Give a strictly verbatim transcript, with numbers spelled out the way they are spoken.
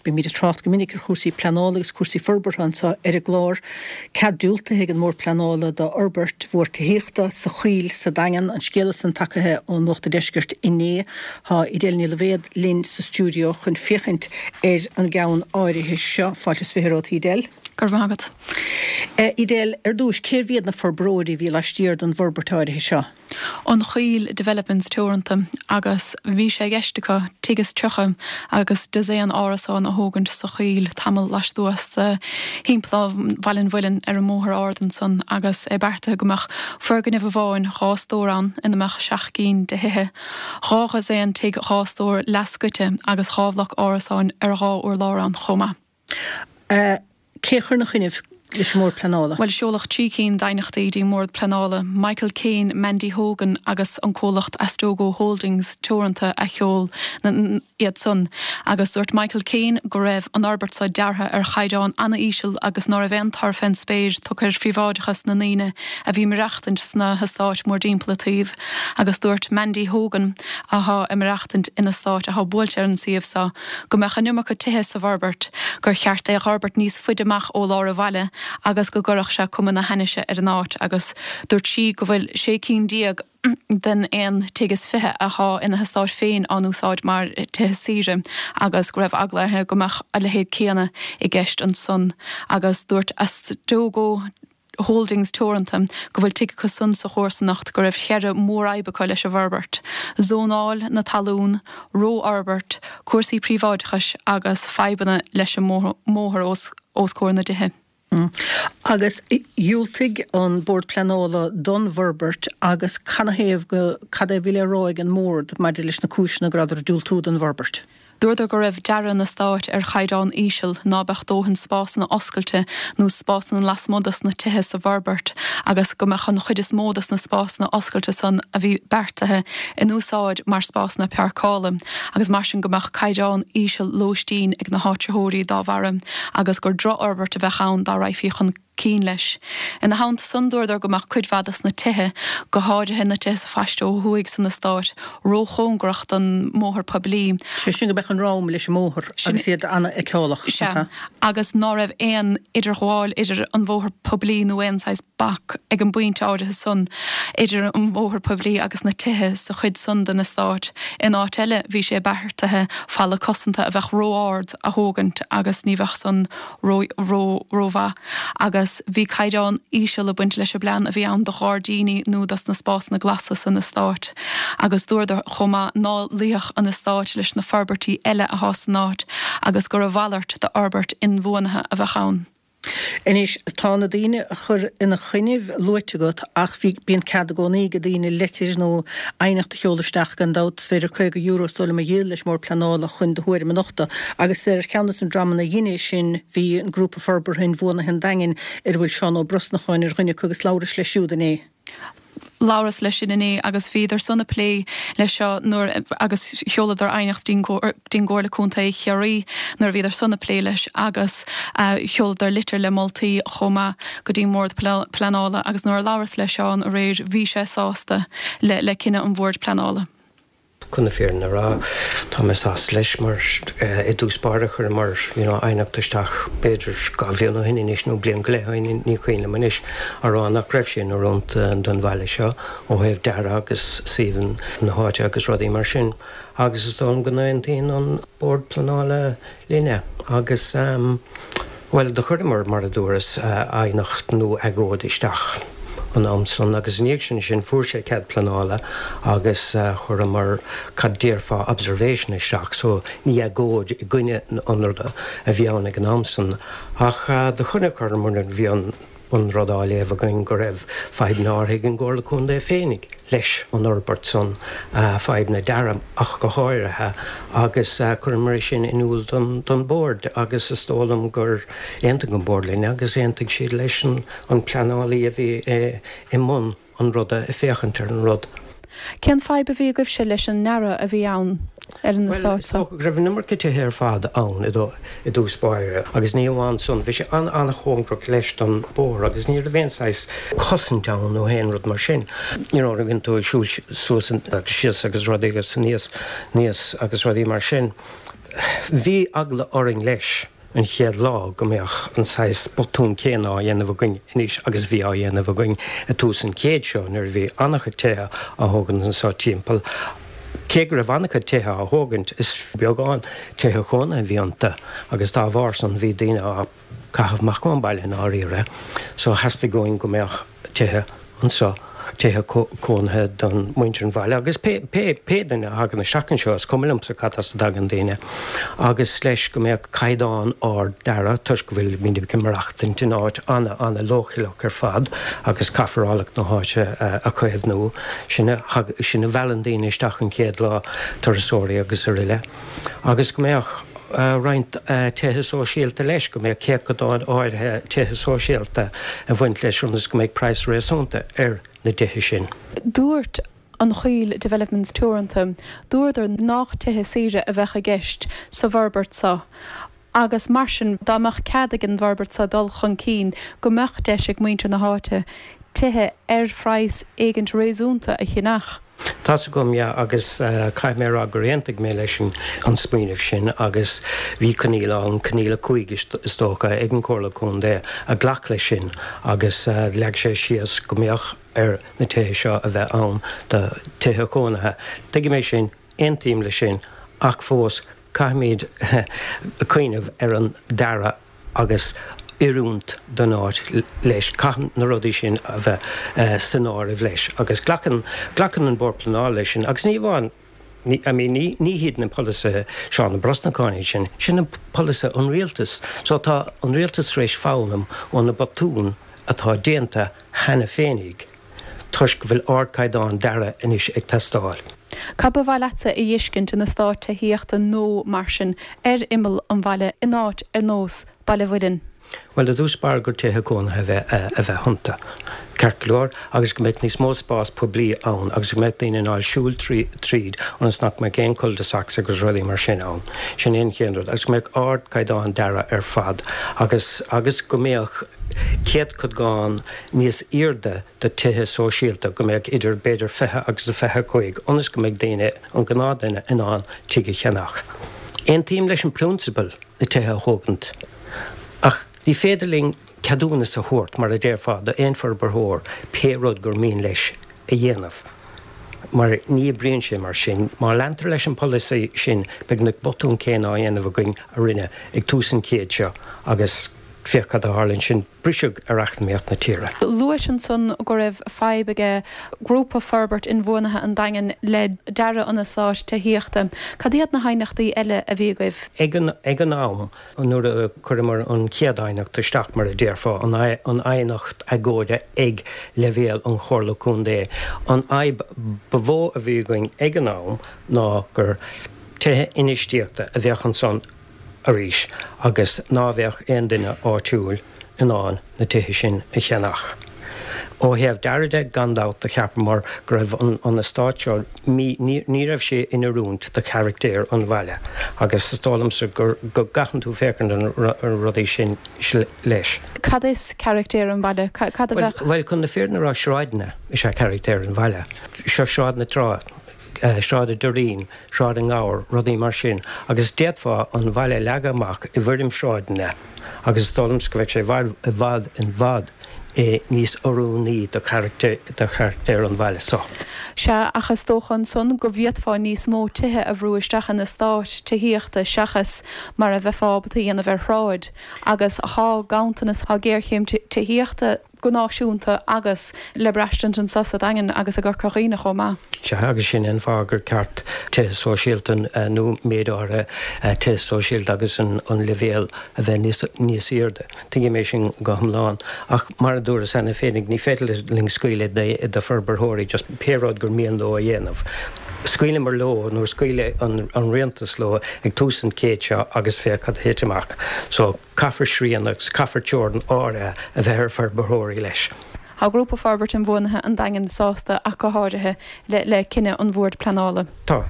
Bímid ag trácht go minic ar chúrsaí pleanála agus cúrsaí forbartha anseo ar an gclár. Cead diúltaithe ag an mBord Pleanála d'fhorbairt mhór tithíochta sa Choill sa Daingean, an scéala san tagtha ó Nuacht an Deiscirt inné. Tá Edel Ní Loibhéad linn sa stiúideo chun féachaint ar an gceann áirithe seo. Fáilte is fiche romhat, Edel. Go raibh maith agat. Edel, ar dtús, cérbh iad na forbróirí a bhí laistiar den bhforbairt áirithe seo? An Choill Developments Teoranta agus bhí sé i gceist acu tigh is tríocha agus dosaen árasán a thógaint sa Choill tamall lastuas de Theampall Bhaile an Mhuilinn ar an mbóthar ard ansan agus é beartaithe go mbeadh foirgneamh amháin dhá stór ann ina mbeadh seacht gcinn de thithe, dhá dhosaen tigh dhá stór leathscoite agus dhá bhloc árasáin ar dhá urlár ann chomh maith. Uh, cé chuir ina choinnibh leis an mBord Pleanála? Well seoladh trí cinn d'aighneachtaí dtí'n mBord Pleanála, Michael Kane, Mandy Hogan agus an comhlacht Astogo Holdings Teoranta a sheol iad san. Agus dúirt Michael Kane go raibh an fhorbairt seo deartha ar chaighdeán an-íseal agus ná raibh aon tor fén spéir tugtha ar phríobháideachas na ndaoine a bhí maireachtaint sna heastáit mórthimpeall an tsuímh. Agus dúirt Mandy Hogan atá ag maireachtaint in eastát atá buailte ar an suíomh seo, go mbeadh an iomarca tithe sa bhforbairt, gur cheart é a fhorbairt níos faide amach ó lár an bhaile agus go gcuirfeadh sé cuma na hainnise ar an áit agus dúirt sí go bhfuil sé cinn déag den aon tigh is fiche atá ina heastát féin á n-úsáid mar tithe saoire agus go raibh eagla uirthi go mbeadh a leithéid céanna i gceist ansan agus dúirt Astogo Holdings Teoranta go bhfuil tigh acu san sa chomharsanacht go raibh ceithre mhórfhadhb acu leis an bhforbairt. Zónáil na talún, rófhorbairt, cúrsaí príobháideachais agus fadhbanna leis an mbóthar os, os comhair na dtithe. Mm. Agus dhiúltaigh an Bord Pleanála don bhforbairt agus canathaobh go cad é bhí le rá ag an mbord maidir leis na cúiseanna go rabhadar ag diúltú don bhforbairt. Dúradar go raibh dearadh an eastáit ar chaighdeán íseal ná beadh dóthain spásanna oscailte nó spásanna lasmuigh dos na tithe sa bhforbairt agus go mbeadh an chuid is mó dos na spásanna oscailte san a bhí beartaithe in úsáid mar spásanna páirceála agus mar sin go mbeadh caighdeán íseal lóistín ag na háitritheoirí dá bharra agus gur drochfhorbairt a bheadh ann dá raghfaí chun cinn leis. Ina theannta san dúradar go mbeadh cuid mhaith des na tithe go háirithe na tithe sa phaiste ó thuaidh san eastát róchóngarach don mbóthar poiblí. Sé sin go mbeadh an rom leis an mbóthar agus iad an-fheiceálach. Sea, agus ná raibh aon idirghabháil idir an bhóthar poiblí nó aon saghas bac ag an bpointe áirithe san idir an bhóthar poiblí agus na tithe sa chuid san den eastát. In áit eile bhí sé beartaithe falla cosanta a bheadh ró-ard a thógaint agus ní bheadh san rómhaith agus bhí caighdeán íseal ag baint leis an bplean a bhí ann do ghairdíní nó dos na spásanna glasa san eastát. Agus dúradar chomh maith ná luífeadh an eastát leis na forbairtí eile atá san áit agus gur a mhalairt d'fhorbairt inbhuanaithe a bheadh ann. Anois tá na daoine a chur ina choinnibh luaite agat ach bhí bíonn cead i gcónaí ag daoine leitir nó aighneacht a sheoladh isteach gan dabht is féidir caoga euro is dóigh liom a dhíol leis an mBord Pleanála chun do thuairim a nochtadh agus ar cheann des na dreamanna a dhein é sin bhí an grúpa forbartha inbhuanaithe an Daingin ar a bhfuil Seán Ó Brosnacháin ar dhuine acu agus labhrais leis siúd inné. Labhras leis sin inné agus bhíodar san ag plé leis seo nuair agus sheoladar aighneacht dtí'n gComhairle Contae Chiarraí nuair a bhíodar san ag plé leis agus sheoladar litir le moltaí chomh maith go dtí mBord Pleanála agus nuair a labhras le Seán aréir bhí sé sásta le le cinneadh an Bhoird Pleanála. Chun na fírinne a rá, tá mé sásta leis mar i dtús báire chuireamar you know aighneacht isteach b'fhéidir dhá bhliain ó shin anois nó bliain go leith ó shin, ní cuimhin liom anois, á rá nach raibh sé in oiriúint don bhaile seo ó thaobh dearadh agus suíomh na háite agus rudaí mar sin. Agus is dóigh liom go n-aontaíonn an Bord Pleanála linne agus bhuel do chuireamar mar a dúras aighneacht nó agóid isteach. an am san agus i ndiaidh sin sin fuair sé cead pleanála agus chuireamar cad déarfá observation isteach so ní agóid i gcoinne an ruda a bhí ann ag an am san ach do chonaiceamar nuair a bhí an an rud á léamh againn go raibh fadhbanna áirithe ag an gComhairle Contae féinig leis an fhorbairt san, fadhbanna dearaidh ach go háirithe agus chuireamar é sin in iúl don don Bhord agus is dóigh liom gur aontaigh an Bord linn agus aontaigh siad leis an an pleanálaí a bhí i mbun an ruda ag féachaint ar an rud. Cén fadhb a bhí agaibhse leis an ndearadh a bhí ann ar an Bhuel, eastát is seo? dócha go raibh an iomarca tithe ar fad ann i dtús báire agus ní amháin san, bhí sé an-an-chóngarach leis don bhóthar agus ní raibh aon saghas cosaint ann nó aon rud mar sin. You know, bhíonn tú ag siúl suas agus síos agus rudaí agus aníos, aníos agus rudaí mar sin. bhí eagla orainn leis an chéad lá go mbeadh an saghas botún céanna á dhéanamh againn anois agus bhí á dhéanamh againn i dtús an chéid seo nuair a bhí an-chuid tithe á thógaint anseo timpeall. Cé go raibh an-chuid tithe á thógaint, is beagán tithe cónaithe a bhí iontu agus dá bharr san bhí daoine á caitheamh amach ón baile i ndáiríre. So theastaigh uainn go mbeadh tithe anseo, tithe cónaithe don muintir an bhaile agus pé, pé, pé duine a thagann isteach anseo, is cuma liomsa cad as a dtagann daoine, agus leis go mbeadh caighdeán ard dearaidh toisc go bhfuilimid ag maireachtaint in áit ana, ana leochaileach ar fad agus caithfear áilleacht na háite a chaomhnú. Sin a, sin a mheallann daoine isteach an chéad lá, turasóirí agus aroile. Agus go mbeadh roinnt tithe sóisialta leis, go mbeadh céatadán áirithe tithe sóisialta ag baint leis ionas go mbeadh praghas réasúnta ar na tithe sin. Dúirt An Choill Developments Teoranta, dúradar nach tithe saoire a bheadh i gceist sa bhforbairt seo agus mar sin dá mbeadh cead ag an bhforbairt seo dul chun cinn go mbeadh deis ag muintir na háite tithe ar phraghas éigint réasúnta a cheannach. Tá's agam, yeah, agus caithfidh mé a rá gur aontaigh mé leis an smaoineamh sin agus bhí coinníoll ann, coinníoll a cúig is dócha, ag an Chomhairle Contae a ghlac leis sin agus leag sé síos go mbeadh ar na tithe seo a bheith ann do tithe cónaithe. Tuigim é sin, aontaím leis sin ach fós caithfimid cuimhneamh ar an dearadh agus oiriúint don áit leis. Caithfidh na rudaí sin a bheith san áireamh leis agus glacann, glacann an Bord Pleanála leis sin agus ní amháin, ní, I mean ní, ní hiad na polasaithe Seán Ó Brosnacháin iad sin, sin an polasaithe an rialtais. So tá an rialtas tar éis foghlaim ó na botúin atá déanta cheana féinig toisc go bhfuil ardchaighdeán dearaidh anois ag teastáil. Cad ba mhaith leatsa a fheiscint in eastát tithíochta nó mar sin ar imeall an bhaile in áit ar nós Baile Mhuirinn? Bhuel, i dtús báire gur tithe cónaithe a bheith a bheith iontu, ceart go leor, agus go mbeadh níos mó spás poiblí ann agus go mbeadh daoine in ann siúl tríd ionas nach mbeadh aon cul-de-sacs agus rudaí mar sin ann. Sin an chéad rud. Agus go mbeadh ardchaighdeán dearaidh ar fad agus agus go mbeadh céatadán níos airde de tithe sóisialta, go mbeadh idir b'fhéidir fiche agus a fiche a cúig, ionas go mbeidh daoine, an gnáthduine, in ann tigh a cheannach. Aontaím leis an prionsabal na tithe a thógaint, ach ní féidir linn ceadúnas a thabhairt, mar a déarfá, d'aon forbarthóir pé rud gur mian leis a dhéanamh, mar ní oibríonn sé mar sin. Má leantar leis an polasaí sin, beidh na botúin céanna á dhéanamh againn a rinneadh ag tús an chéid seo agus féach cad a tharla ansin, briseadh ar eacnamaíocht na tíre. Luais ansan go raibh fadhb ag Grúpa Forbairt Inbhuanaithe an Daingin le dearadh an eastáit tithíochta. Cad iad na haighneachtaí eile a bhí agaibh? Ag an ag an am nuair a chuireamar an chéad aighneacht isteach, mar a déarfá, an an aighneacht agóide ag leibhéal an Chomhairle Contae, an fhadhb ba mhó a bhí againn ag an am ná gur tithe infheistíochta a bheadh ansan arís agus ná bheadh aon duine áitiúil in ann na tithe sin a cheannach. Ó thaobh dearaidh de, gan dabht, do cheapamar go raibh an eastát seo mí, ní raibh sé in oiriúint do charachtar an bhaile agus is dóigh liomsa gur, go gcaitheann tú féachaint ar na rudaí sin leis. Cad is carachtar an bhaile? Cad a bheadh. Bhuel, chun na fírinne a rá, sráideanna is ea carachtar an bhaile. Seo Sráid na Trá. Sráid an Doirín, Sráid an Ghabhair, rudaí mar sin, agus d'fhéadfá an bhaile a leagadh amach i bhfoirm sráideanna agus is dóigh liomsa go bheadh sé i bhfad, i bhfad, i bhfad níos oiriúnaí do charachtar an bhaile seo. Sea, ach is dócha ansan go bhféadfá níos mó tithe a bhrú isteach in eastát tithíochta seachas mar a bheifeá ábalta a dhéanamh ar shráid agus tá ganntanas, tá géarchéim tithíochta go náisiúnta agus le braistint anseo sa Daingean agus i gCorca Dhuibhne chomh maith. Sea, agus sin an fáth gur ceart tithe sóisialta nó méid áirithe tithe sóisialta agus an leibhéal a bheith níos níos airde. Tuigim é sin go hiomlán. Ach mar a dúras cheana féinig, ní féidir linn scaoileadh de forbarthóirí just pé rud gur mian leo a dhéanamh. Scaoileamar leo nuair a scaoil an rialtas leo ag tús an chéid seo agus féach cad a thit amach. So. Caithfear srian agus caithfear teorainn áirithe a bheith ar forbarthóirí leis. Tá Grúpa Forbairt Inbhuanaithe an Daingin sásta ach go háirithe le cinneadh an Bhoird Pleanála. Tá.